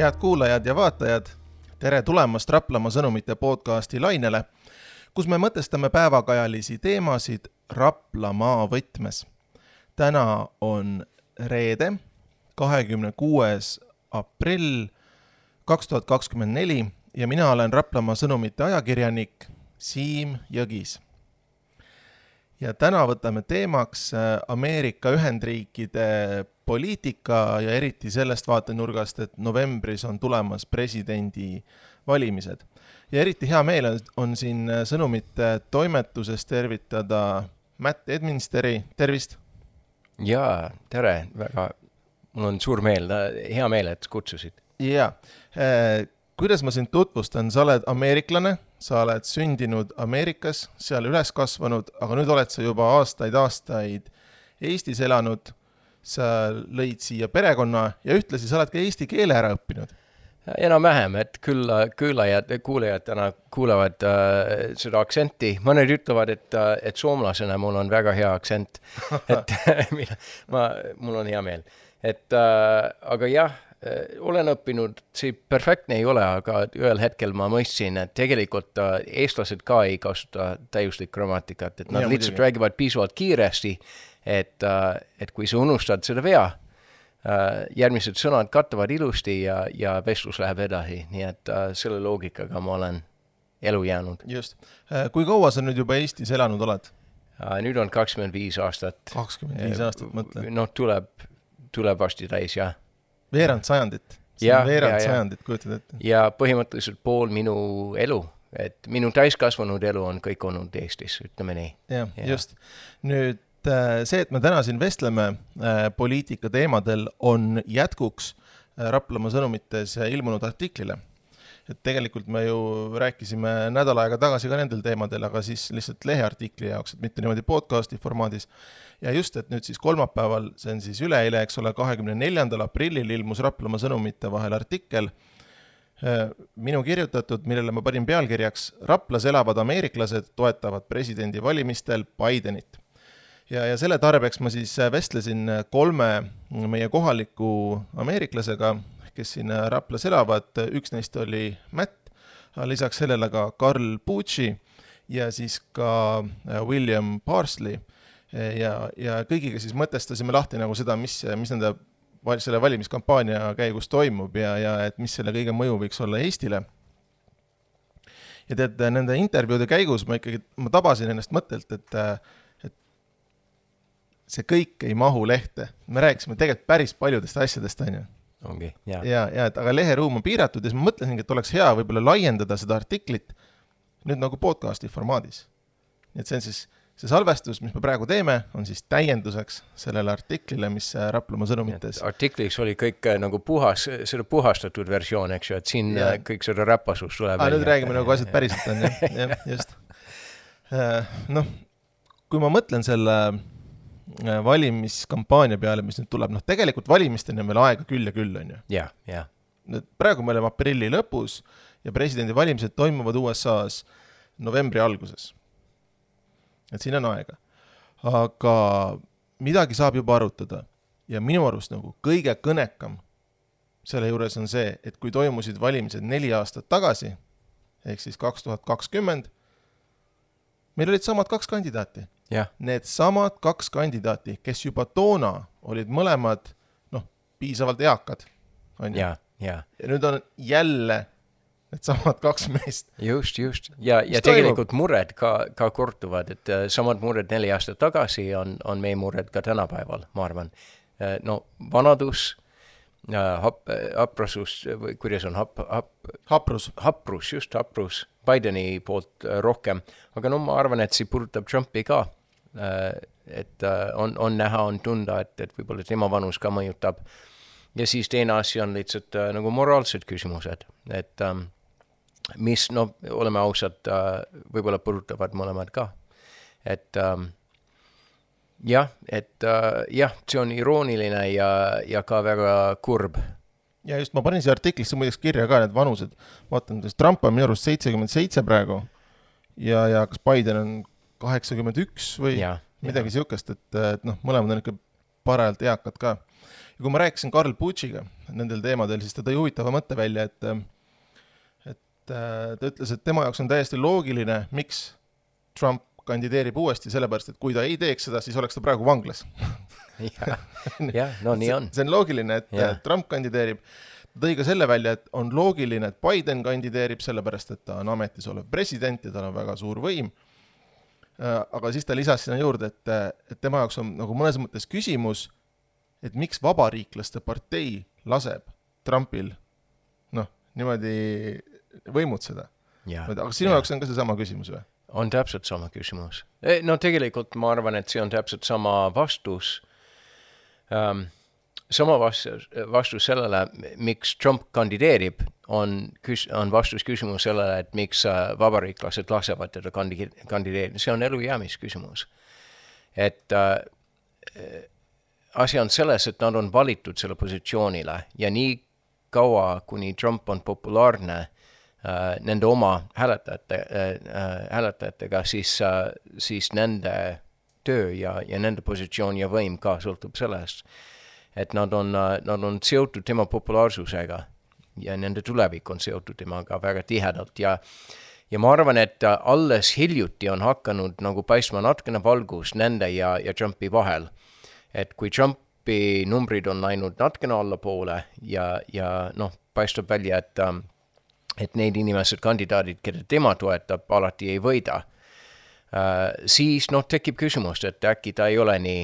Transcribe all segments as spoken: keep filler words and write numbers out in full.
Head kuulajad ja vaatajad, tere tulemast Raplamaa sõnumite podcasti lainele, kus me mõtestame päevakajalisi teemasid Raplamaa võtmes. Täna on reede, kahekümne kuues aprill kaks tuhat kakskümmend neli ja mina olen Raplamaa sõnumite ajakirjanik Siim Jõgis. Ja täna võtame teemaks Ameerika Ühendriikide poliitika ja eriti sellest vaatenurgast, et novembris on tulemas presidendi valimised. Ja eriti hea meel on, on siin sõnumite toimetuses tervitada Matt Edminsteri. Tervist! Jaa, tere! Väga, mul on suur meel, hea meel, et kutsusid. Jaa. Eh, kuidas ma sind tutvustan? Sa oled ameeriklane, sa oled sündinud Ameerikas, seal üles kasvanud, aga nüüd oled sa juba aastaid aastaid Eestis elanud. Sa lõid siia perekonna ja ühtlasi sa oled ka eesti keele ära õppinud. Enam vähem, et küll kuulajad, kuulajad täna kuulevad äh, seda aktsenti. Mõned ütlevad, et, et soomlasena mul on väga hea aktsent. Et ma, mul on hea meel. Et, äh, aga jah, olen õppinud, see perfektne ei ole, aga ühel hetkel ma mõistsin, et tegelikult äh, eestlased ka ei kasuta täiuslik grammatikat, et nad ja, lihtsalt räägivad piisavalt kiiresti, et, äh, et kui sa unustad seda vea, äh, järgmised sõnad kattavad ilusti ja, ja vestlus läheb edasi, nii et äh, selle loogikaga ma olen elu jäänud. Just. Kui kaua sa nüüd juba Eestis elanud oled? Äh, nüüd on kakskümmend viis aastat. kakskümmend viis aastat, mõtle. No tuleb, tuleb vasti täis, jah. Veerand sajandit. See ja, on veerand ja, sajandit, kujutad ette. Ja põhimõtteliselt pool minu elu, et minu täiskasvanud elu on kõik olnud Eestis, ütleme nii. Ja, ja. Just. Nüüd see, et me täna siin vestleme poliitika teemadel, on jätkuks Raplamaa sõnumites ilmunud artiklile. Et tegelikult me ju rääkisime nädal aega tagasi ka nendel teemadel, aga siis lihtsalt leheartikli jaoks, et mitte niimoodi podcasti formaadis. Ja just, et nüüd siis kolmapäeval, see on siis üleeile, eks ole, kahekümne neljandal aprillil ilmus Raplamaa sõnumite vahel artikkel, minu kirjutatud, millele ma panin pealkirjaks Raplas elavad ameeriklased toetavad presidendi valimistel Bidenit. Ja, ja selle tarbeks ma siis vestlesin kolme meie kohaliku ameeriklasega, kes siin Raplas elavad. Üks neist oli Matt, lisaks sellele ka Karl Pucci ja siis ka William Parsley. Ja, ja kõigiga siis mõtestasime lahti nagu seda, mis, mis nende selle valimiskampaania käigus toimub ja, ja et mis selle kõige mõju võiks olla Eestile. Ja tead, nende intervjuude käigus ma ikkagi ma tabasin ennast mõttelt, et, et see kõik ei mahu lehte. Me rääkisime tegelikult päris paljudest asjadest, on ju. Ongi, jah. Ja, ja, et, aga leheruum on piiratud ja siis ma mõtlesingi, et oleks hea võib-olla laiendada seda artiklit nüüd nagu podcasti formaadis. Nii et see on siis see salvestus, mis me praegu teeme, on siis täienduseks sellele artiklile, mis Raplamaa sõnumites. Artikliks oli kõik nagu puhas, seda puhastatud versioon, eks ju, et siin ja. Kõik seda räpasus tuleb. Ah, nüüd räägime nagu asjad päriselt on, jah, jah, just. Noh, kui ma mõtlen selle valimiskampaania peale, mis nüüd tuleb, noh, tegelikult valimisteni on veel aega küll ja küll, on ju. Ja, ja. Praegu me oleme aprilli lõpus ja presidendi valimised toimuvad U S A-s novembri alguses. Et siin on aega. Aga midagi saab juba arutada. Ja minu arust nagu kõige kõnekam selle juures on see, et kui toimusid valimised neli aastat tagasi, ehk siis kaks tuhat kakskümmend, meil olid samad kaks kandidaati. Ja. Need samad kaks kandidaati, kes juba toona olid mõlemad noh, piisavalt eakad. On ja, ja. Ja nüüd on jälle need samad kaks meest. Just, just. Ja, ja tegelikult mured ka, ka kortuvad, et uh, samad mured neli aastat tagasi on, on meie mured ka tänapäeval, ma arvan. Uh, no vanadus, uh, hap, haprasus, või kuidas on hap, hap, haprus. Haprus, just haprus, Bideni poolt uh, rohkem. Aga no ma arvan, et see puudutab Trumpi ka. Uh, et uh, on, on näha, on tunda, et, et võib-olla tema vanus ka mõjutab. Ja siis teine asja on lihtsalt uh, nagu moraalsed küsimused, et um, mis, no oleme ausad, võib-olla puudutavad mõlemad ka. Et ähm, jah, et äh, jah, see on irooniline ja, ja ka väga kurb. Ja just, ma panin siia artiklisse muideks kirja ka need vanused. Vaatan, Trump on minu arust seitsekümmend seitse praegu ja, ja kas Biden on kaheksakümmend üks või ja, midagi ja. Siukest, et, et noh, mõlemad on ikka parajalt eakad ka. Ja kui ma rääkisin Karl Putsiga nendel teemadel, siis ta tõi huvitava mõtte välja, et, et ta ütles, et tema jaoks on täiesti loogiline, miks Trump kandideerib uuesti, sellepärast, et kui ta ei teeks seda, siis oleks ta praegu vanglas. ja, ja, no nii on. See on loogiline, et ja. Trump kandideerib. Ta tõi ka selle välja, et on loogiline, et Biden kandideerib, sellepärast, et ta on ametis olev president ja tal on väga suur võim. Aga siis ta lisas sinna juurde, et, et tema jaoks on nagu mõnes mõttes küsimus, et miks vabariiklaste partei laseb Trumpil noh, niimoodi võimutseda. Aga sinu jaoks on ka see sama küsimus või? On täpselt sama küsimus. No tegelikult ma arvan, et see on täpselt sama vastus. Um, sama vastus, vastus sellele, miks Trump kandideerib, on, on vastus küsimus sellele, et miks vabariiklased lasevad teda kandideerida. See on elujäämisküsimus. Et uh, asi on selles, et nad on valitud selle positsioonile ja nii kaua, kuni Trump on populaarne Uh, nende oma hääletajate, uh, hääletajatega, siis, uh, siis nende töö ja, ja nende positsioon ja võim ka sõltub sellest, et nad on, uh, nad on seotud tema populaarsusega ja nende tulevik on seotud temaga väga tihedalt ja, ja ma arvan, et uh, alles hiljuti on hakanud nagu paistma natkene valgus nende ja, ja Trumpi vahel, et kui Trumpi numbrid on läinud natkene allapoole ja, ja noh, paistab välja, et um, et need inimesed kandidaadid, keda tema toetab, alati ei võida, uh, siis noh, tekib küsimus, et äkki ta ei ole nii,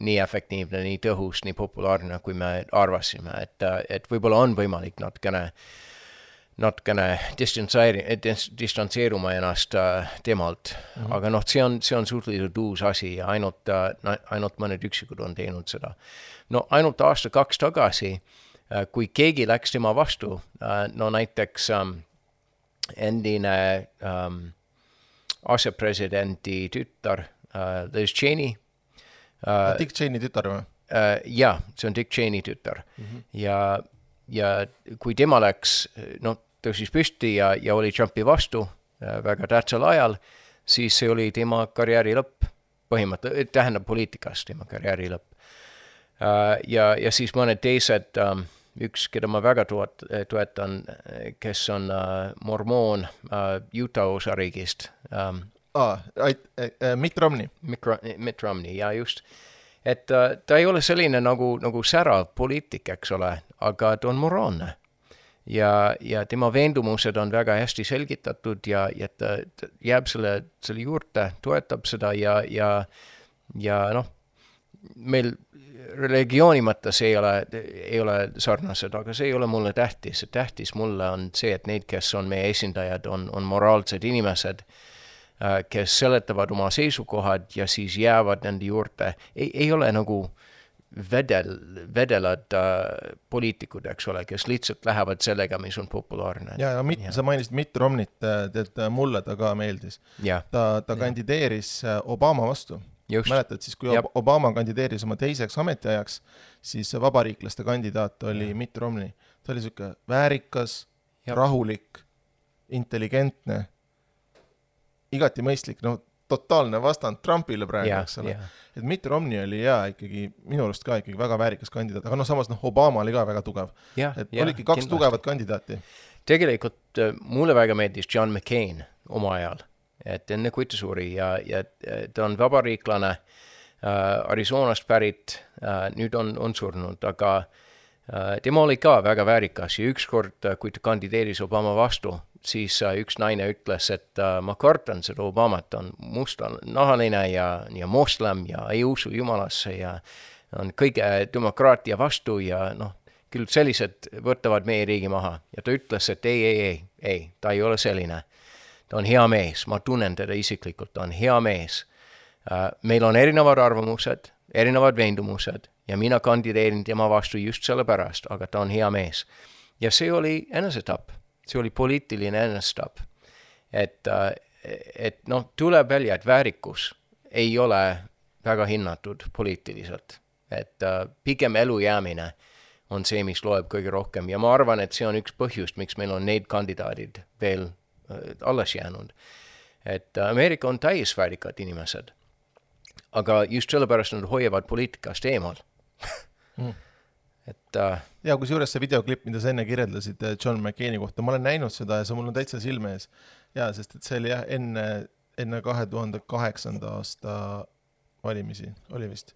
nii efektiivne, nii tõhus, nii populaarne, kui me arvasime, et, et võib-olla on võimalik natkene, natkene distantseeruma ennast uh, temalt, mm-hmm. aga noh, see on, see on suhteliselt uus asi ja ainult, uh, ainult mõned üksikud on teinud seda. No ainult aasta kaks tagasi kui keegi läks tema vastu, no näiteks um, endine um, asepresidenti tütar uh, Liz Cheney. Uh, Dick Cheney tütar või? Uh, ja, see on Dick Cheney tütar. Mm-hmm. Ja, ja kui tema läks, no tõusis püsti ja, ja oli Trumpi vastu uh, väga tähtsal ajal, siis see oli tema karjääri lõpp, põhimõtteliselt, tähendab poliitikas tema karjääri lõpp. Uh, ja, ja siis mõned teised, um, üks, keda ma väga toet, toetan, kes on uh, mormoon uh, Utah osariigist. Um, ah, uh, Mitt Romney. Mitt, Mitt Romney, ja just. Et uh, ta ei ole selline nagu, nagu särav poliitik, eks ole, aga ta on moraalne. Ja, ja tema veendumused on väga hästi selgitatud ja, ja ta, ta jääb selle, selle juurde, toetab seda ja, ja, ja noh, meil religiooni mõttes ei ole, ei ole sarnased, aga see ei ole mulle tähtis. Tähtis mulle on see, et need, kes on meie esindajad, on, on moraalsed inimesed, kes seletavad oma seisukohad ja siis jäävad nende juurde. Ei, ei ole nagu vedel, vedelad äh, poliitikud, eks ole, kes lihtsalt lähevad sellega, mis on populaarne. Ja, ja, mit, ja. Sa mainisid Mitt Romneyt, et mulle ta ka meeldis. Ja. Ta, ta kandideeris Obama vastu. Just. Mäletad, siis kui Jab. Obama kandideeris oma teiseks ametiajaks, siis vabariiklaste kandidaat oli ja. Mitt Romney. Ta oli selline väärikas, Jab. rahulik, intelligentne, igati mõistlik, no totaalne vastand Trumpile praegu, eks ole. Et Mitt Romney oli ja ikkagi, minu arust ka ikkagi väga väärikas kandidaat, aga no samas noh, Obama oli ka väga tugev. Ja, et ja, oligi kaks kindlasti. Tugevat kandidaati. Tegelikult mulle väga meeldis John McCain oma ajal. Et enne kui ta suri ja, ja ta on vabariiklane äh, Arizonast pärit, äh, nüüd on, on surnud, aga äh, tema oli ka väga väärikas ja ükskord, kui ta kandideeris Obama vastu, siis äh, üks naine ütles, et äh, ma kartan seda Obamat, on mustanahaline ja, ja moslem ja ei usu jumalasse ja on kõige demokraatia vastu ja noh, küll sellised võtavad meie riigi maha. Ja ta ütles, et ei, ei, ei, ei, ta ei ole selline. Ta on hea mees, ma tunnen teda isiklikult, ta on hea mees. Meil on erinevad arvamused, erinevad veendumused ja mina kandideerin tema vastu just selle pärast, aga ta on hea mees. Ja see oli enesetapp, see oli poliitiline enesetapp. Et, et noh, tuleb välja, et väärikus ei ole väga hinnatud poliitiliselt. Et pigem elu jäämine on see, mis loeb kõige rohkem ja ma arvan, et see on üks põhjust, miks meil on neid kandidaadid veel alles jäänud. Et Ameerika on täis väärikad inimesed, aga just sellepärast nad hoiavad poliitikast eemal. mm. et uh, ja kus juures see videoklipp, mida sa enne kirjeldasid John McCaini kohta, ma olen näinud seda ja see mul on täitsa silme ees. Ja, sest et see oli jah enne, enne kahe tuhande kaheksanda aasta valimisi, oli vist.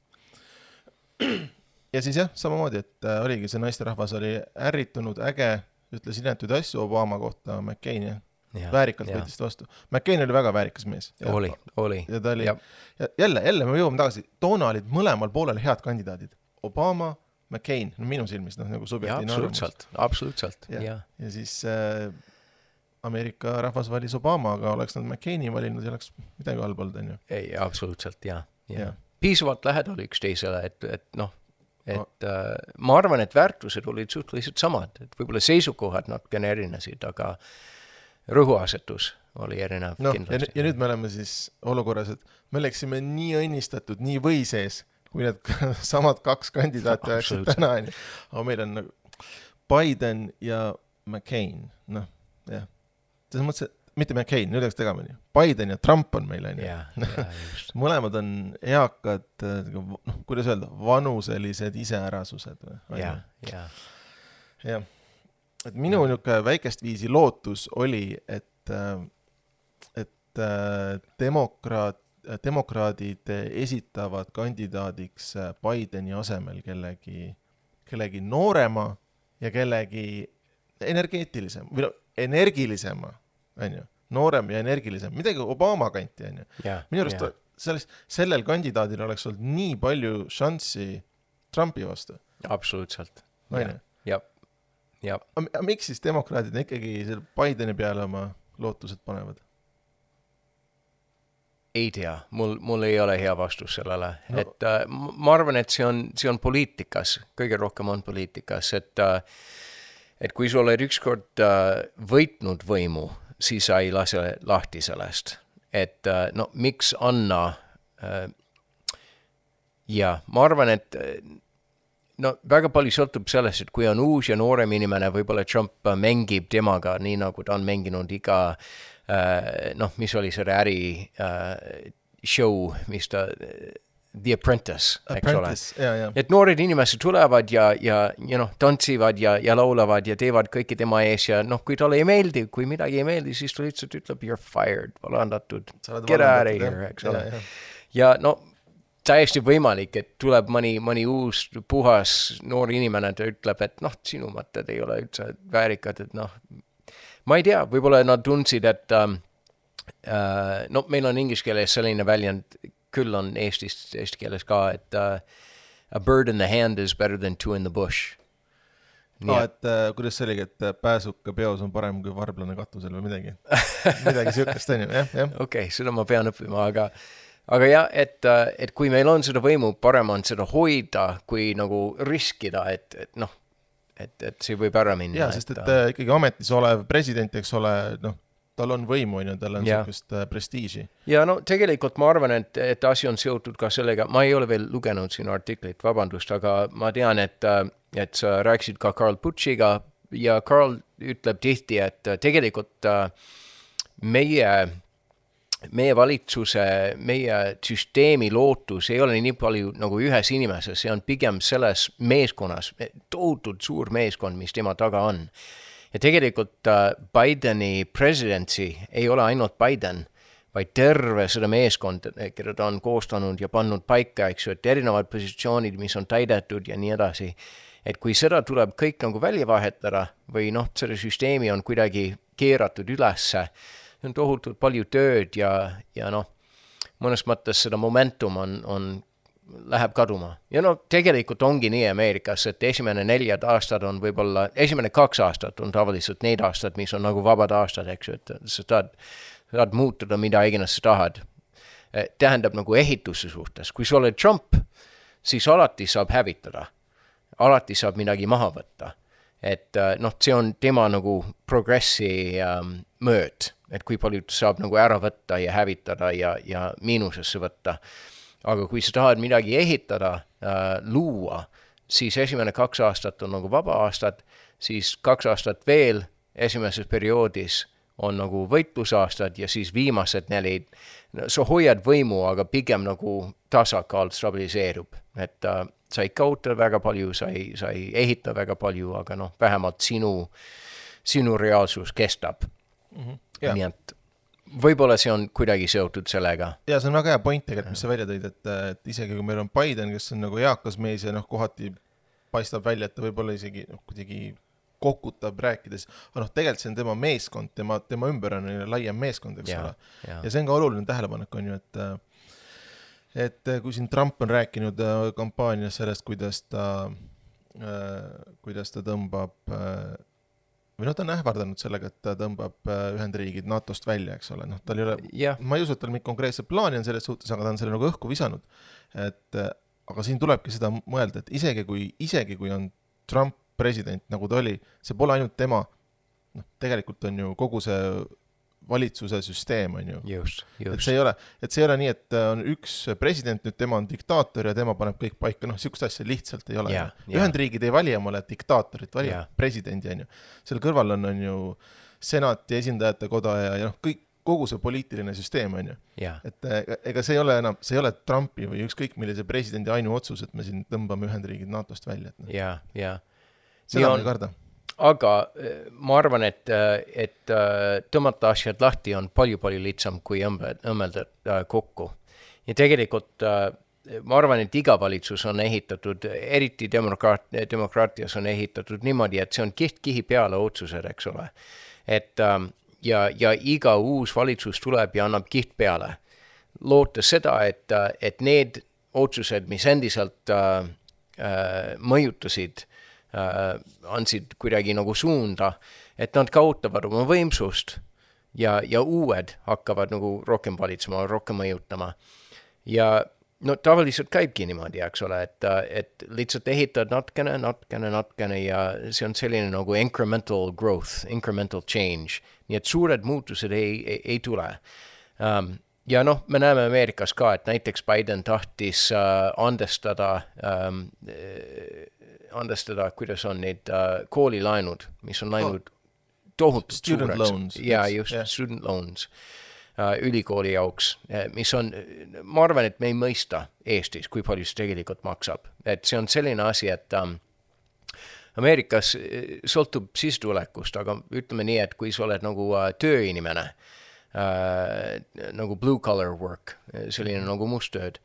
Ja siis jah, samamoodi, et äh, oligi see naisterahvas oli ärritunud, äge, ütles inetuid asju Obama kohta McCain, jah. Ja, väärikalt võttis vastu. McCain oli väga väärikas mees. Ja, oli, oli. Ja ta oli, ja. Ja jälle, jälle me jõuame tagasi, toona olid mõlemal poolel head kandidaadid. Obama, McCain, no minu silmis, noh, nagu subjektiivne arvamus. Absoluutselt, absoluutselt, ja. Ja, ja siis äh, Ameerika rahvas valis Obama, aga oleks nad McCaini valinud ja oleks midagi halb olnud, on ju. Ei, absoluutselt, ja, ja. ja. Piisavalt lähedal üks teisele, et, et noh, et no. äh, ma arvan, et väärtused olid suhteliselt samad, et võib-olla seisukohad natukene erinesid, aga rõhuasetus oli erinev no, kindlasti. Ja, ja nüüd me oleme siis olukorras, et me oleksime nii õnnistatud, nii või sees, kui need samad kaks kandidaati oleksid täna. Aga meil on nagu Biden ja McCain. Noh, jah. Selles mõttes, et mitte McCain, nüüd oleks tegamine. Biden ja Trump on meil. Ja, ja, mõlemad on eakad, noh, kuidas öelda, vanuselised iseärasused. Ja, ja. Ja. Et minu niuke väikest viisi lootus oli, et, et demokraat, demokraadid esitavad kandidaadiks Bideni asemel kellegi, kellegi noorema ja kellegi energeetilisem, või no, energilisema, on ju, noorem ja energilisem, midagi Obama kanti, on ju. Yeah, minu arust yeah. selles, sellel kandidaadil oleks olnud nii palju šanssi Trumpi vastu. Absoluutselt. On ju? Jab. Ja. Aga miks siis demokraadid ikkagi selle Bideni peale oma lootused panevad? Ei tea, mul, mul ei ole hea vastus sellele. No. Et, äh, ma arvan, et see on, see on poliitikas, kõige rohkem on poliitikas, et, äh, et kui sa oled ükskord äh, võitnud võimu, siis sa ei lase lahti sellest. Et äh, no miks anna äh, ja ma arvan, et no väga palju sõltub sellest, et kui on uus ja noorem inimene, võib-olla Trump mängib temaga nii, nagu ta on mänginud iga, äh, noh, mis oli selle äri äh, show, mis ta, The Apprentice, eks ole. Ja, ja. Et noored inimesed tulevad ja, ja, ja noh, tantsivad ja, ja laulavad ja teevad kõiki tema ees ja noh, kui talle ei meeldi, kui midagi ei meeldi, siis ta lihtsalt ütleb, you're fired, valandatud, get out of here, eks ole. Ja, ja no, täiesti võimalik, et tuleb mõni, mõni uus puhas noor inimene, ta ütleb, et noh, sinu mõtted ei ole üldse väärikad, et noh, ma ei tea, võib-olla nad tundsid, et um, uh, no meil on inglise keeles selline väljend, küll on Eestis, eesti keeles ka, et uh, a bird in the hand is better than two in the bush. Ah, et uh, kuidas see oligi, et pääsuka peos on parem kui varblane katusel või midagi? Midagi sihukest on ju, jah, jah. Okei, okay, seda ma pean õppima, aga Aga jah, et, et kui meil on seda võimu, parem on seda hoida, kui nagu riskida, et, et noh, et, et see võib ära minna. Jaa, sest et, et ikkagi ametis olev president, eks ole, noh, tal on võimu, ja tal on sellist prestiiži. Ja no tegelikult ma arvan, et, et asi on seotud ka sellega, ma ei ole veel lugenud siin artiklit, vabandust, aga ma tean, et, et sa rääkisid ka Carl Putschiga ja Carl ütleb tihti, et tegelikult meie meie valitsuse, meie süsteemi lootus ei ole nii palju nagu ühes inimeses, see on pigem selles meeskonnas, tohutult suur meeskond, mis tema taga on. Ja tegelikult uh, Bideni presidentsi ei ole ainult Biden, vaid terve seda meeskond, keda ta on koostanud ja pannud paika, eks ju, et erinevad positsioonid, mis on täidetud ja nii edasi. Et kui seda tuleb kõik nagu välja vahetada või noh, selle süsteemi on kuidagi keeratud ülesse, on tohutult palju tööd ja, ja noh, mõnes mõttes seda momentum on, on, läheb kaduma. Ja no tegelikult ongi nii Ameerikas, et esimene neljad aastad on võib-olla, esimene kaks aastat on tavaliselt need aastad, mis on nagu vabad aastad, eks ju, et sa tahad, tahad muutuda, mida iganes sa tahad. Tähendab nagu ehituse suhtes. Kui sa oled Trump, siis alati saab hävitada. Alati saab midagi maha võtta. Et noh, see on tema nagu progressi um, mööd, et kui palju saab nagu ära võtta ja hävitada ja, ja miinusesse võtta. Aga kui sa tahad midagi ehitada, uh, luua, siis esimene kaks aastat on nagu vaba aastad, siis kaks aastat veel esimeses perioodis on nagu võitlusaastad ja siis viimased neli, no, sa hoiad võimu, aga pigem nagu tasakaal stabiliseerub. Et, uh, sa ei kaota väga palju, sa ei, sa ei ehita väga palju, aga noh, vähemalt sinu, sinu reaalsus kestab. Mm-hmm. Yeah. Nii et võib-olla see on kuidagi seotud sellega. Ja see on väga hea point tegelikult, mis sa välja tõid, et, et isegi kui meil on Biden, kes on nagu eakas mees ja noh, kohati paistab välja, et ta võib-olla isegi noh, kuidagi kokutab rääkides, aga noh, tegelikult see on tema meeskond, tema, tema ümber on laiem meeskond, eks ole. Ja. ja see on ka oluline tähelepanek on ju, et et kui siin Trump on rääkinud kampaanias sellest, kuidas ta kuidas ta tõmbab või noh, ta on ähvardanud sellega, et ta tõmbab Ühendriigid NATOst välja, eks ole. Noh, tal ei ole, yeah. ma ei usu, et tal mingi konkreetset plaani on selles suhtes, aga ta on selle nagu õhku visanud. Et, aga siin tulebki seda mõelda, et isegi kui, isegi kui on Trump president, nagu ta oli, see pole ainult tema, noh, tegelikult on ju kogu see valitsuse süsteem on ju. Just, just. Et see ei ole, et see ei ole nii, et on üks president, nüüd tema on diktaator ja tema paneb kõik paika, noh, sihukest asja lihtsalt ei ole. Yeah, yeah. Ühendriigid ei vali omale diktaatorit, vali yeah. presidendi on ju. Selle kõrval on, on ju senati esindajate koda ja, ja noh, kõik, kogu see poliitiline süsteem on ju. Yeah. Et ega see ei ole enam, see ei ole Trumpi või ükskõik millise presidendi ainu otsus, et me siin tõmbame Ühendriigid NATOst välja. Jah, no. jah. Yeah. Seda on, ei karda. Aga ma arvan, et, et tõmmata asjad lahti on palju-palju lihtsam kui õmmelda kokku. Ja tegelikult ma arvan, et iga valitsus on ehitatud, eriti demokraat, demokraatias on ehitatud niimoodi, et see on kiht-kihi peale otsused, eks ole. Et, ja, ja iga uus valitsus tuleb ja annab kiht peale. Loota seda, et, et need otsused, mis endiselt äh, mõjutasid Uh, andsid kuidagi nagu suunda, et nad kaotavad oma võimsust ja, ja uued hakkavad nagu rohkem valitsema, rohkem mõjutama. Ja no tavaliselt käibki niimoodi, eks ole, et, et lihtsalt ehitad natkene, natkene, natkene ja see on selline nagu incremental growth, incremental change. Nii et suured muutused ei, ei, ei tule. Um, ja noh, me näeme Ameerikas ka, et näiteks Biden tahtis uh, andestada um, andestada, kuidas on neid uh, koolilaenud, mis on laenud oh, tohutult student suureks. Loans. Ja, just yeah. student loans uh, ülikooli jauks, mis on, ma arvan, et me ei mõista Eestis, kui palju see tegelikult maksab. Et see on selline asi, et um, Ameerikas sõltub sissetulekust, aga ütleme nii, et kui sa oled nagu uh, tööinimene, uh, nagu blue collar work, selline nagu musttööd,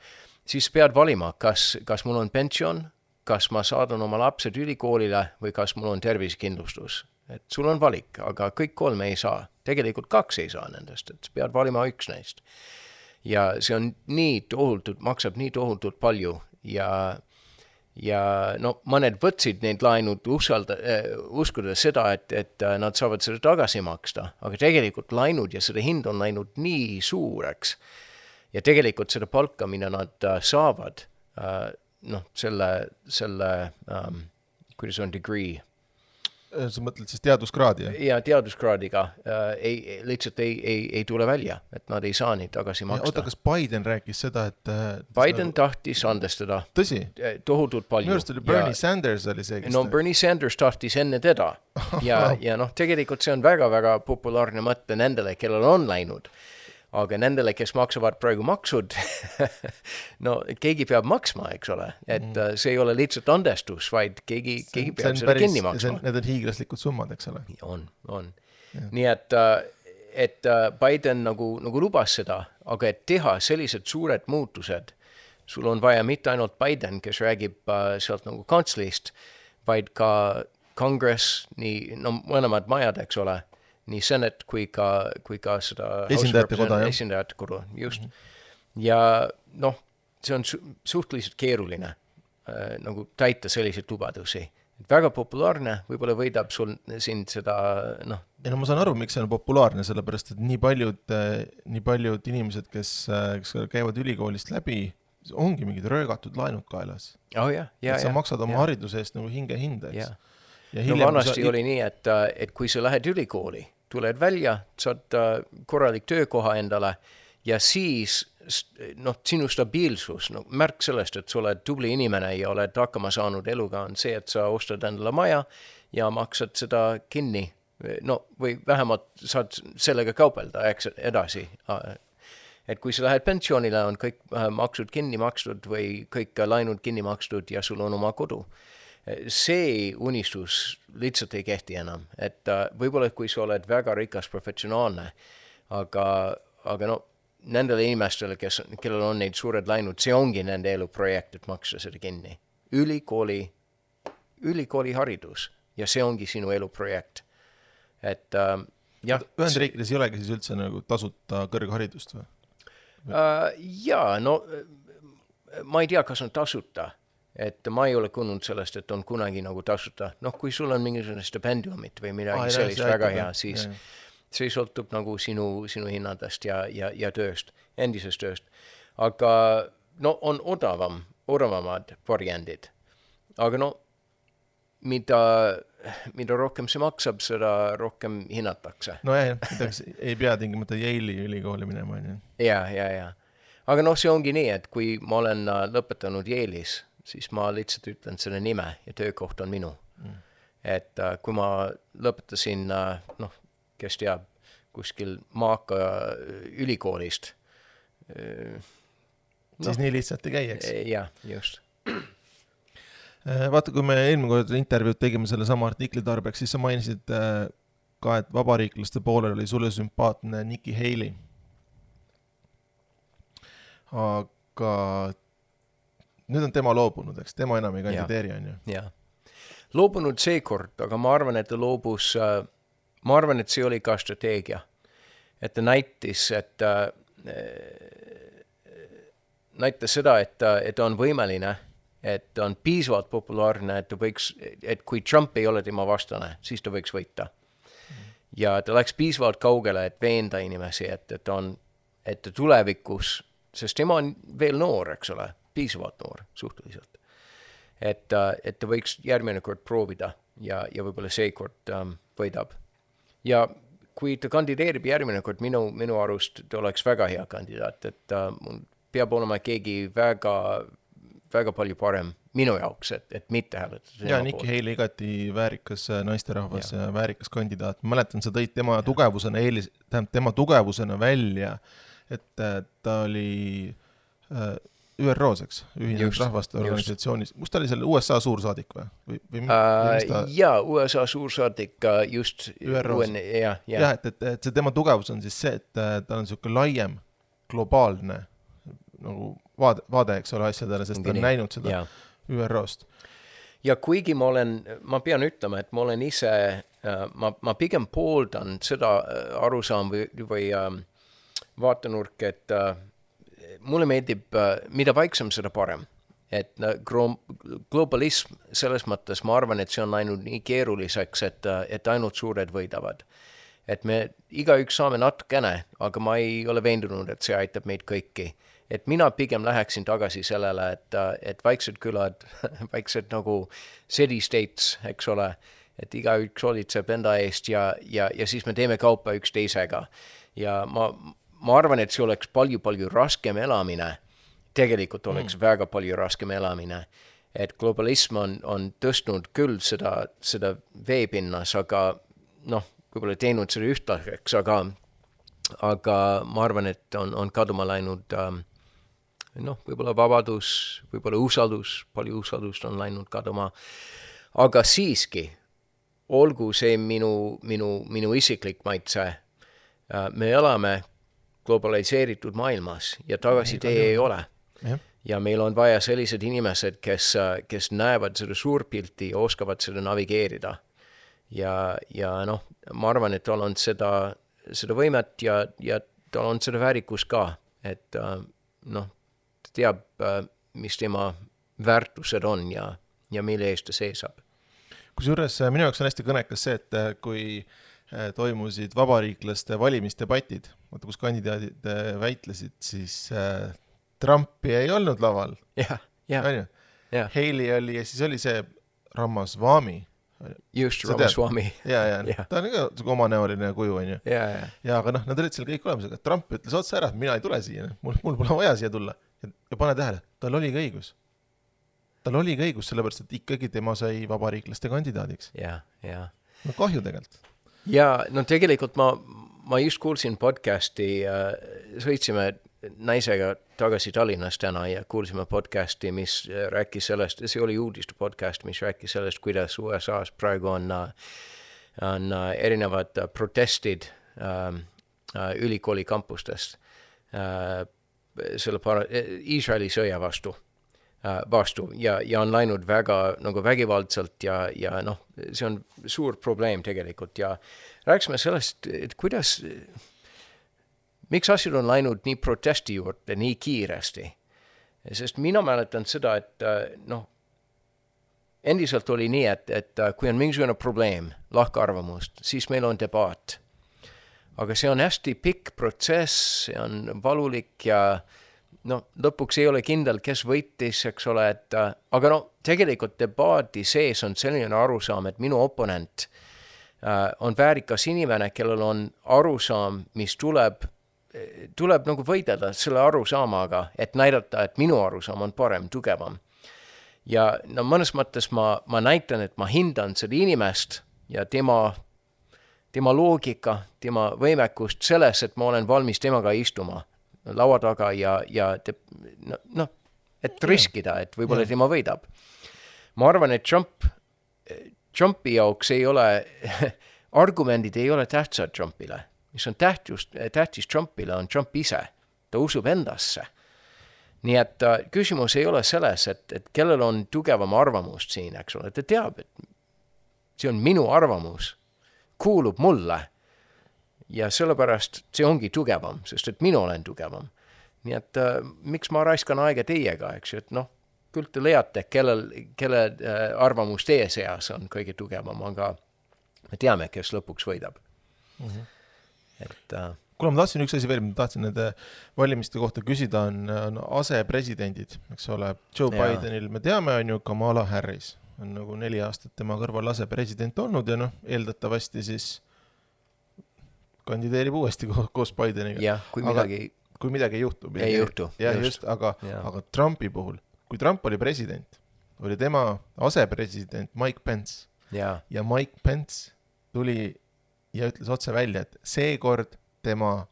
siis pead valima, kas, kas mul on pension, kas ma saadan oma lapsed ülikoolile või kas mul on tervisekindlustus. Et sul on valik, aga kõik kolme ei saa. Tegelikult kaks ei saa nendest, et pead valima üks neist. Ja see on nii tohutult, maksab nii tohutult palju ja, ja no mõned võtsid neid laenud usalda, äh, uskuda seda, et, et nad saavad seda tagasi maksta, aga tegelikult laenud ja seda hind on läinud nii suureks ja tegelikult seda palka, mida nad uh, saavad, uh, noh, selle, selle um, kuidas on degree. Sa mõtled siis teaduskraadi? Ja, ja teaduskraadiga uh, ei, lihtsalt ei, ei, ei tule välja, et nad ei saa neid tagasi maksta. Oota, kas Biden rääkis seda, et... Biden nagu... tahtis andestada. Tõsi? Tohutult palju. Minu arust oli Bernie ja, Sanders oli see, kes... No Bernie Sanders tahtis enne teda. Ja, ja noh, tegelikult see on väga-väga populaarne mõte nendele, kellel on läinud. Aga nendele, kes maksavad praegu maksud, no keegi peab maksma, eks ole. Et mm. see ei ole lihtsalt andestus, vaid keegi, keegi peab seda päris, kinni maksma. Need on hiiglaslikud summad, eks ole. On, on. Ja. Nii et, et Biden nagu, nagu lubas seda, aga et teha sellised suured muutused, sul on vaja mitte ainult Biden, kes räägib sealt nagu kantsleist, vaid ka kongress, nii, no mõlemad majad, eks ole, nii Senate kui ka, kui ka seda esindajate koda, esindajate koda, just. Mm-hmm. Ja noh, see on su- suhteliselt keeruline äh, nagu täita selliseid lubadusi. Väga populaarne, võib-olla võidab sul sind seda, noh. Ja no ma saan aru, miks see on populaarne, sellepärast, et nii paljud, nii paljud inimesed, kes, kes käivad ülikoolist läbi, ongi mingid röögatud laenud kaelas. Oh, yeah, yeah, et sa yeah, maksad oma yeah. hariduse eest nagu hinge hinda, eks. Yeah. Ja no vanasti sa... oli nii, et, et kui sa lähed ülikooli, tuled välja, saad korralik töökoha endale ja siis noh, sinu stabiilsus, no, märk sellest, et sa oled tubli inimene ja oled hakkama saanud eluga, on see, et sa ostad endale maja ja maksad seda kinni. No, või vähemalt saad sellega kaupelda eks, edasi. et kui sa lähed pensioonile, on kõik maksud kinni makstud või kõik laenud kinni makstud ja sul on oma kodu. See unistus lihtsalt ei kehti enam, et võib-olla kui sa oled väga rikas professionaalne, aga, aga no nendele inimestele, kes, kellel on neid suured laenud, see ongi nende eluprojekt, et maksta seda kinni. Ülikooli, ülikooli haridus ja see ongi sinu eluprojekt. Et äh, jah. Ühendriikides ei olegi siis üldse nagu tasuta kõrgharidust või? Uh, jaa, no ma ei tea, kas on tasuta. Et ma ei ole kuulnud sellest, et on kunagi nagu tasuta. Noh, kui sul on mingisugune stipendiumit või midagi ah, sellist väga hea, siis jah. See sõltub nagu sinu, sinu hinnadest ja, ja, ja tööst, endisest tööst. Aga no on odavam, odavamad variandid. Aga no, mida, mida rohkem see maksab, seda rohkem hinnatakse. No jah, ei pea tingimata Yale'i ülikooli minema. Ja, ja, ja. Aga noh, see ongi nii, et kui ma olen lõpetanud Yale'is, siis ma lihtsalt ütlen selle nime ja töökoht on minu. Mm. Et uh, kui ma lõpetasin, uh, noh, kes teab, kuskil Maaka ülikoolist. Uh, no, siis nii lihtsalt ei käi, eks? Jah, just. Vaata, kui me eelmine kord intervjuud tegime selle sama artikli tarbeks, siis sa mainisid ka, et vabariiklaste poolel oli sulle sümpaatne Nikki Haley. Aga nüüd on tema loobunud, eks? Tema enam ei kandideeri, on ju? Jah. Loobunud seekord, aga ma arvan, et ta loobus, ma arvan, et see oli ka strateegia. Et ta näitis, et näitas seda, et, et on võimeline, et on piisavalt populaarne, et ta võiks, et kui Trump ei ole tema vastane, siis ta võiks võita. Ja ta läks piisavalt kaugele, et veenda inimesi, et, et on, et tulevikus, sest tema on veel noor, eks ole, piisavalt noor suhteliselt. Et, et ta võiks järgmine kord proovida ja, ja võib-olla seekord um, võidab. Ja kui ta kandideerib järgmine kord, minu, minu arust ta oleks väga hea kandidaat, et uh, peab olema keegi väga väga palju parem minu jaoks, et, et mitte hääletada. Ja Nikki Haley igati väärikas naisterahvas ja väärikas kandidaat. Ma mäletan, sa tõid tema ja. tugevusena eelis, tähendab tema tugevusena välja, et ta oli Ü R O-s, eks, Ühinenud Rahvaste Organisatsioonis. Kus ta oli selle U S A suursaadik või? või, või uh, ta... Jaa, U S A suursaadik just Ü R O-s. Ja, ja. ja, et, et, et see tema tugevus on siis see, et ta on selline laiem, globaalne nagu vaade, vaade, eks ole, asjadele, sest ta on näinud seda ja. Ü R O-st. Ja kuigi ma olen, ma pean ütlema, et ma olen ise, ma, ma pigem pooldan seda arusaam või, või um, vaatenurk, et uh, mulle meeldib, uh, mida vaiksem, seda parem. Et uh, globalism selles mõttes, ma arvan, et see on läinud nii keeruliseks, et, uh, et ainult suured võidavad. Et me igaüks saame natukene, aga ma ei ole veendunud, et see aitab meid kõiki. Et mina pigem läheksin tagasi sellele, et, et vaiksed külad, vaiksed nagu city states, eks ole, et igaüks olitseb enda eest ja, ja, ja siis me teeme kaupa üks teisega. Ja ma, ma arvan, et see oleks palju-palju raskem elamine. Tegelikult oleks mm. väga palju raskem elamine. Et globalism on, on tõstnud küll seda, seda veepinnas, aga noh, võib-olla teinud seda ühtlaseks, aga, aga ma arvan, et on, on kaduma läinud um, noh, võib-olla vabadus, võib-olla usaldus, palju usaldust on läinud kaduma, aga siiski, olgu see minu, minu, minu isiklik maitse, me elame globaliseeritud maailmas ja tagasi tee ei ole. Ja. ja meil on vaja sellised inimesed, kes, kes näevad seda suurpilti ja oskavad seda navigeerida. Ja, ja noh, ma arvan, et tal on seda, seda võimet ja, ja tal on seda väärikus ka, et noh, teab, mis tema väärtused on ja, ja mille eest ta seisab. Kusjuures minu jaoks on hästi kõnekas see, et kui toimusid vabariiklaste valimisdebatid, kus kandidaadid väitlesid, siis Trumpi ei olnud laval. Ja, ja. ja. Haley oli ja siis oli see Ramaswamy. Just, Ramaswamy. Ja, ja, ja. Ta on ka omanäoline kuju, on ju. Ja, ja. ja, aga noh, nad olid seal kõik olemas, aga Trump ütles otsa ära, et mina ei tule siia, mul, mul pole vaja siia tulla. Ja pane tähele, tal oli ka õigus. Tal oli ka õigus, sellepärast, et ikkagi tema sai vabariiklaste kandidaadiks. Ja, ja. No kahju tegelikult. Ja, no tegelikult ma, ma just kuulsin podcasti, äh, sõitsime naisega tagasi Tallinnas täna ja kuulsime podcasti, mis rääkis sellest, see oli uudiste podcast, mis rääkis sellest, kuidas U S A-s praegu on, on erinevad protestid ähm, ülikooli kampustest äh, selle para- Iisraeli sõja vastu, äh, vastu ja, ja on läinud väga nagu vägivaldselt ja, ja noh, see on suur probleem tegelikult ja rääkisime sellest, et kuidas miks asjad on läinud nii protesti juurde nii kiiresti? Sest mina mäletan seda, et noh, endiselt oli nii, et, et kui on mingisugune probleem, lahkarvamust, siis meil on debaat. Aga see on hästi pikk protsess, see on valulik ja no, lõpuks ei ole kindel, kes võitis, eks ole, et aga no, tegelikult debaati sees on selline arusaam, et minu oponent uh, on väärikas inimene, kellel on arusaam, mis tuleb tuleb nagu võidelda selle arusaamaga, et näidata, et minu arusaam on parem, tugevam. Ja no mõnes mõttes ma, ma näitan, et ma hindan seda inimest ja tema, tema loogika, tema võimekust selles, et ma olen valmis temaga istuma laua taga ja, ja te, no, no, et riskida, et võib-olla tema võidab. Ma arvan, et Trump, Trumpi jaoks ei ole, argumendid ei ole tähtsad Trumpile. Mis on tähtis, tähtis Trumpile, on Trump ise. Ta usub endasse. Nii et uh, küsimus ei ole selles, et, et kellel on tugevam arvamust siin, eks ole. Ta teab, et see on minu arvamus, kuulub mulle. Ja sellepärast see ongi tugevam, sest et minu olen tugevam. Nii et uh, miks ma raiskan aega teiega, eks ju, et noh, küll te leiate, kellel, kelle uh, arvamus teie seas on kõige tugevam, aga me teame, kes lõpuks võidab. Mhm. Et, uh... Kuule, ma tahtsin üks asi veel, ma tahtsin nende valimiste kohta küsida, on, on asepresidendid, eks ole, Joe ja. Bidenil, me teame, on ju Kamala Harris, on nagu neli aastat tema kõrval asepresident olnud ja noh, eeldatavasti siis kandideerib uuesti koos Bideniga. Jah, kui midagi, aga, kui midagi juhtub. Ei juhtu. Ja just, just aga, aga Trumpi puhul, kui Trump oli president, oli tema asepresident Mike Pence ja, ja Mike Pence tuli ja ütles otse välja, et seekord tema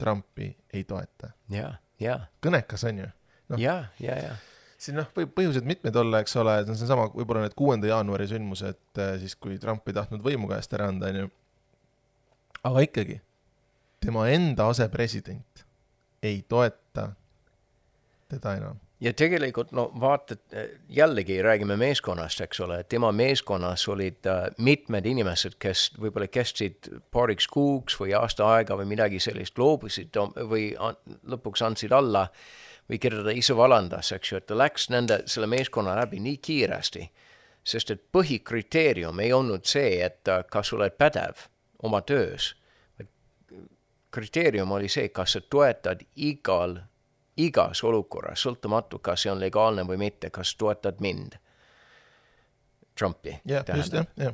Trumpi ei toeta. Ja, ja. Kõnekas on ju. No, ja, ja, ja. Siin noh, võib põhjused mitmed olla, eks ole, see on sama, võib-olla need kuuenda jaanuari sündmused, siis kui Trump ei tahtnud võimu käest ära anda, on ju. Aga ikkagi, tema enda asepresident ei toeta teda enam. Ja tegelikult, no vaatad, jällegi räägime meeskonnast, eks ole, tema meeskonnas olid uh, mitmed inimesed, kes võib-olla kestsid paariks kuuks või aasta aega või midagi sellist loobusid või an, lõpuks andsid alla või keda ta ise valandas, eks ju, et ta läks nende, selle meeskonna läbi nii kiiresti, sest et põhikriteerium ei olnud see, et uh, kas oled pädev oma töös. Kriteerium oli see, kas sa toetad igal igas olukorras, sõltumatu, kas see on legaalne või mitte, kas toetad mind, Trumpi. Yeah, just, yeah, yeah.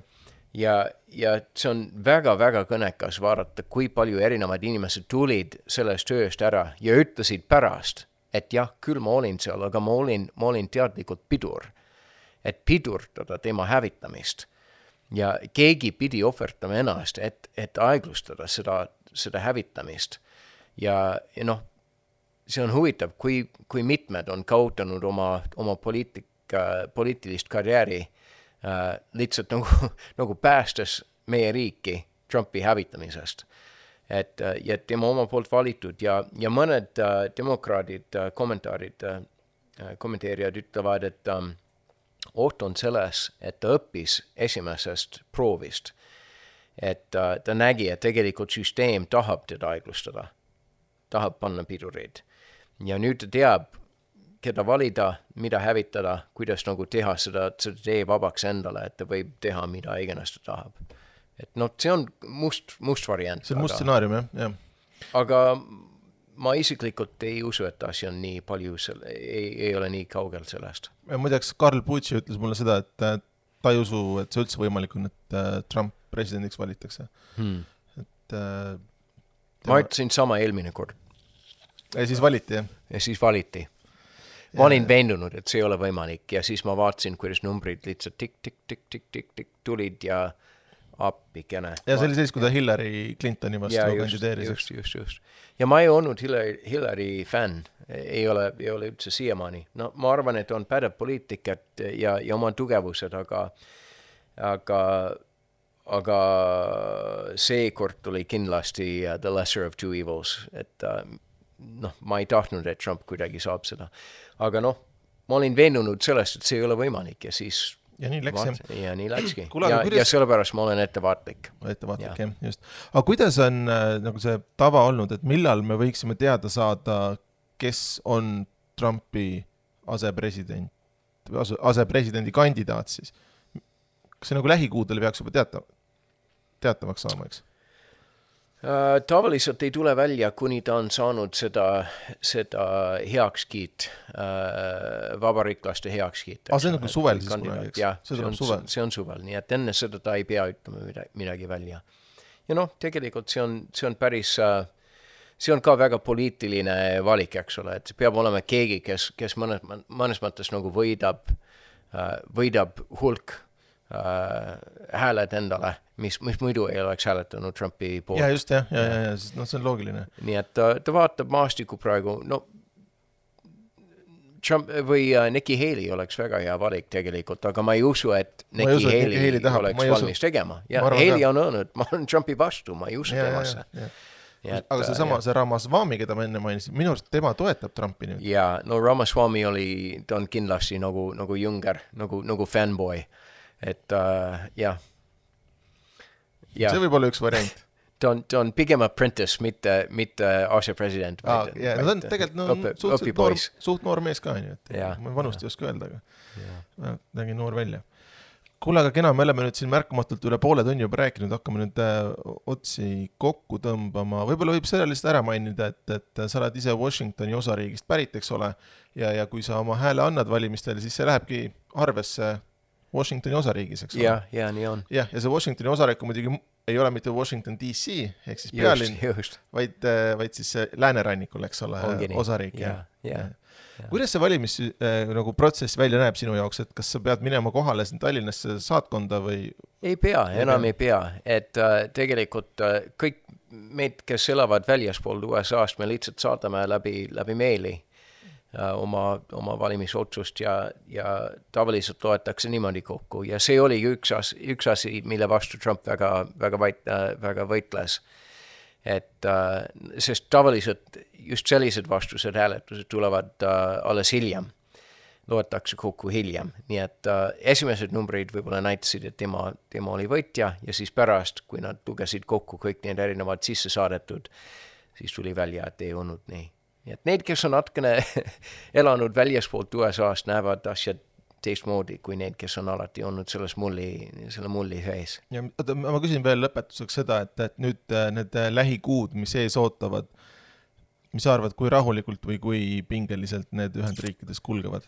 Ja, ja see on väga-väga kõnekas vaadata, kui palju erinevad inimesed tulid sellest tööst ära ja ütlesid pärast, et jah, küll ma olin seal, aga ma olin, ma olin teadlikult pidur, et pidurdada tema hävitamist. Ja keegi pidi ohvertama ennast, et, et aeglustada seda, seda hävitamist. Ja, ja noh, see on huvitav, kui, kui mitmed on kaotanud oma, oma poliitika, poliitilist karjääri äh, lihtsalt nagu, nagu päästes meie riiki Trumpi hävitamisest. Et, äh, ja tema oma poolt valitud ja, ja mõned äh, demokraadid, äh, kommentaarid, äh, kommenteerijad ütlevad, et ähm, oht on selles, et ta õppis esimesest proovist. Et äh, ta nägi, et tegelikult süsteem tahab teda aeglustada, tahab panna pidurid. Ja nüüd ta teab, keda valida, mida hävitada, kuidas nagu teha seda, seda tee vabaks endale, et ta võib teha, mida iganes ta tahab. Et noh, see on must, must variant. See on must stsenaarium, jah, jah. Aga ma isiklikult ei usu, et asi on nii palju, selle, ei, ei ole nii kaugel sellest. Muideks, Karl Pucci ütles mulle seda, et ta ei usu, et see üldse võimalik on, et Trump presidendiks valitakse. Hmm. Et, tema... Ma ütlesin sama eelmine kord. Ja siis valiti, jah? Ja siis valiti. Ma olin veendunud, et see ei ole võimalik ja siis ma vaatasin, kuidas numbrid lihtsalt tik, tik, tik, tik, tik, tik tulid ja appikene. Ja see oli siis, kui ta Hillary Clintoni vastu ja, kandideeris. Just, just, just. Ja ma ei olnud Hillary, Hillary fan, ei ole, ei ole üldse siiamaani. No ma arvan, et on pädev poliitikat ja, ja oma tugevused, aga, aga, aga seekord tuli kindlasti uh, the lesser of two evils, et uh, noh, ma ei tahtnud, et Trump kuidagi saab seda. Aga noh, ma olin veenunud sellest, et see ei ole võimalik ja siis ja nii läks, vaat, ja nii läkski. Kula, ja, kuidas... ja sellepärast ma olen ettevaatlik. Ettevaatlik, jah, just. Aga kuidas on äh, nagu see tava olnud, et millal me võiksime teada saada, kes on Trumpi asepresident, asepresidendi kandidaat siis? Kas see nagu lähikuudel peaks juba teata, teatavaks saama, eks? Uh, tavaliselt ei tule välja, kuni ta on saanud seda, seda heakskiit, uh, vabariiklaste heakskiit. Ah, see on nagu suvel siis kunagi, eks? Ja, see, see, on, suvel. see on suvel, nii et enne seda ta ei pea ütlema midagi välja. Ja noh, tegelikult see on, see on päris, uh, see on ka väga poliitiline valik, eks ole, et peab olema keegi, kes, kes mõnes, mõnes mõttes nagu võidab, uh, võidab hulk uh, hääled endale, mis, mis muidu ei oleks hääletanud Trumpi poolt. Ja just, jah, ja, ja, ja, ja no, see on loogiline. Nii et ta, ta vaatab maastiku praegu, no Trump või uh, Nikki Haley oleks väga hea valik tegelikult, aga ma ei usu, et Nikki usu, Haley, Haley tahab, oleks valmis usu. tegema. Ja Haley ka. On öelnud, ma olen Trumpi vastu, ma ei usu ja, temasse. Ja, ja. Et, aga see sama, see Ramaswamy, keda ma enne mainisin, minu arust tema toetab Trumpi nüüd. Ja, no Ramaswamy oli, ta on kindlasti nagu, nagu junger, nagu, nagu fanboy. Et uh, jah. Ja. See võib olla üks variant. ta, on, ta on pigem apprentice, mitte, mitte asepresident. Ah, yeah. no, ta on tegelikult no, õpi, suht, noor, suht noor mees ka, nii, et ja, ma vanust ja. ei oska öelda, aga nägi noor välja. Kuule, aga kena, me oleme nüüd siin märkamatult üle poole tunni juba rääkinud, hakkame nüüd äh, otsi kokku tõmbama. Võib-olla võib selle lihtsalt ära mainida, et, et sa oled ise Washingtoni osariigist pärit, eks ole, ja, ja kui sa oma hääle annad valimistel, siis see lähebki arvesse Washingtoni osariigis, eks ole? Ja, ja, nii on. Ja, ja see Washingtoni osariik muidugi ei ole mitte Washington D C, ehk siis pealinn, vaid, vaid siis läänerannikul, eks ole, Ongini. Osariik. Ja, ja, ja. Kuidas see valimis äh, nagu protsess välja näeb sinu jaoks, et kas sa pead minema kohale siin Tallinnasse saatkonda või? Ei pea, enam ei pea, et äh, tegelikult äh, kõik meid, kes elavad väljaspool U S A-st, me lihtsalt saadame läbi, läbi meili oma, oma valimisotsust ja, ja tavaliselt loetakse niimoodi kokku. Ja see oli üks, as, üks asi, mille vastu Trump väga, väga, võit, väga võitles. Et, sest tavaliselt just sellised vastused hääletused tulevad alles hiljem. Loetakse kokku hiljem. Nii et esimesed numbrid võib-olla näitasid, et tema, tema oli võitja ja siis pärast, kui nad lugesid kokku kõik need erinevad sisse saadetud, siis tuli välja, et ei olnud nii. Nii et need, kes on natkene elanud väljaspoolt U S A-st, näevad asjad teistmoodi kui need, kes on alati olnud selles mulli, selle mulli sees. Ja, ma küsin veel lõpetuseks seda, et, et nüüd need lähikuud, mis ees ootavad, mis arvad, kui rahulikult või kui pingeliselt need Ühendriikides kulgevad?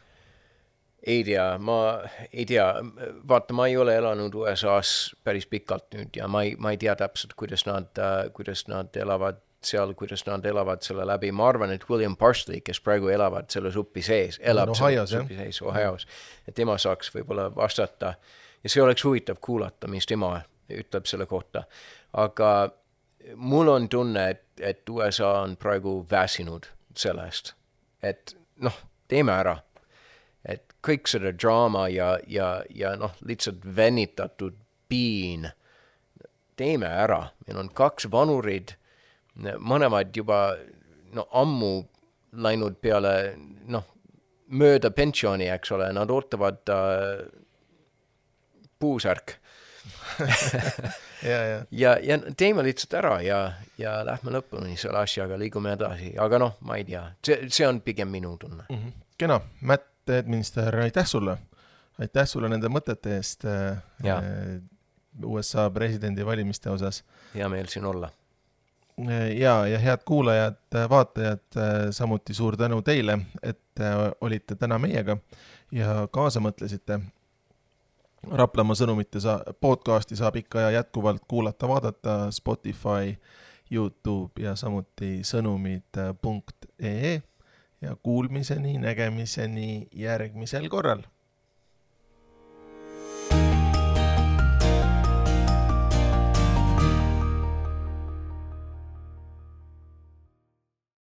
Ei tea, ma ei tea, vaata, ma ei ole elanud U S A-s päris pikalt nüüd ja ma ei, ma ei tea täpselt, kuidas nad, kuidas nad elavad seal, kuidas nad elavad selle läbi. Ma arvan, et William Parsley, kes praegu elavad selle suppi sees, elab no, selle suppi sees Ohios, et tema saaks võib-olla vastata ja see oleks huvitav kuulata, mis tema ütleb selle kohta. Aga mul on tunne, et, et U S A on praegu väsinud sellest, et noh, teeme ära. Et kõik seda draama ja, ja, ja noh, lihtsalt venitatud piin, teeme ära. Meil on kaks vanurid, mõnemad juba no, ammu läinud peale no, mööda pensioni, eks ole, nad ootavad uh, puusärk. ja, ja. ja, ja teeme lihtsalt ära ja, ja lähme lõpuni selle asjaga, liigume edasi. Aga noh, ma ei tea, see, see on pigem minu tunne. Mm-hmm. Kena, Matt Edminster, aitäh sulle. Aitäh sulle nende mõtete eest ja. U S A presidendi valimiste osas. Hea meel siin olla. Ja, ja head kuulajad, vaatajad, samuti suur tänu teile, et olite täna meiega ja kaasa mõtlesite. Raplamaa sõnumite sa- podcasti saab ikka ja jätkuvalt kuulata, vaadata Spotify, YouTube ja samuti sõnumid punkt ee ja kuulmiseni, nägemiseni järgmisel korral.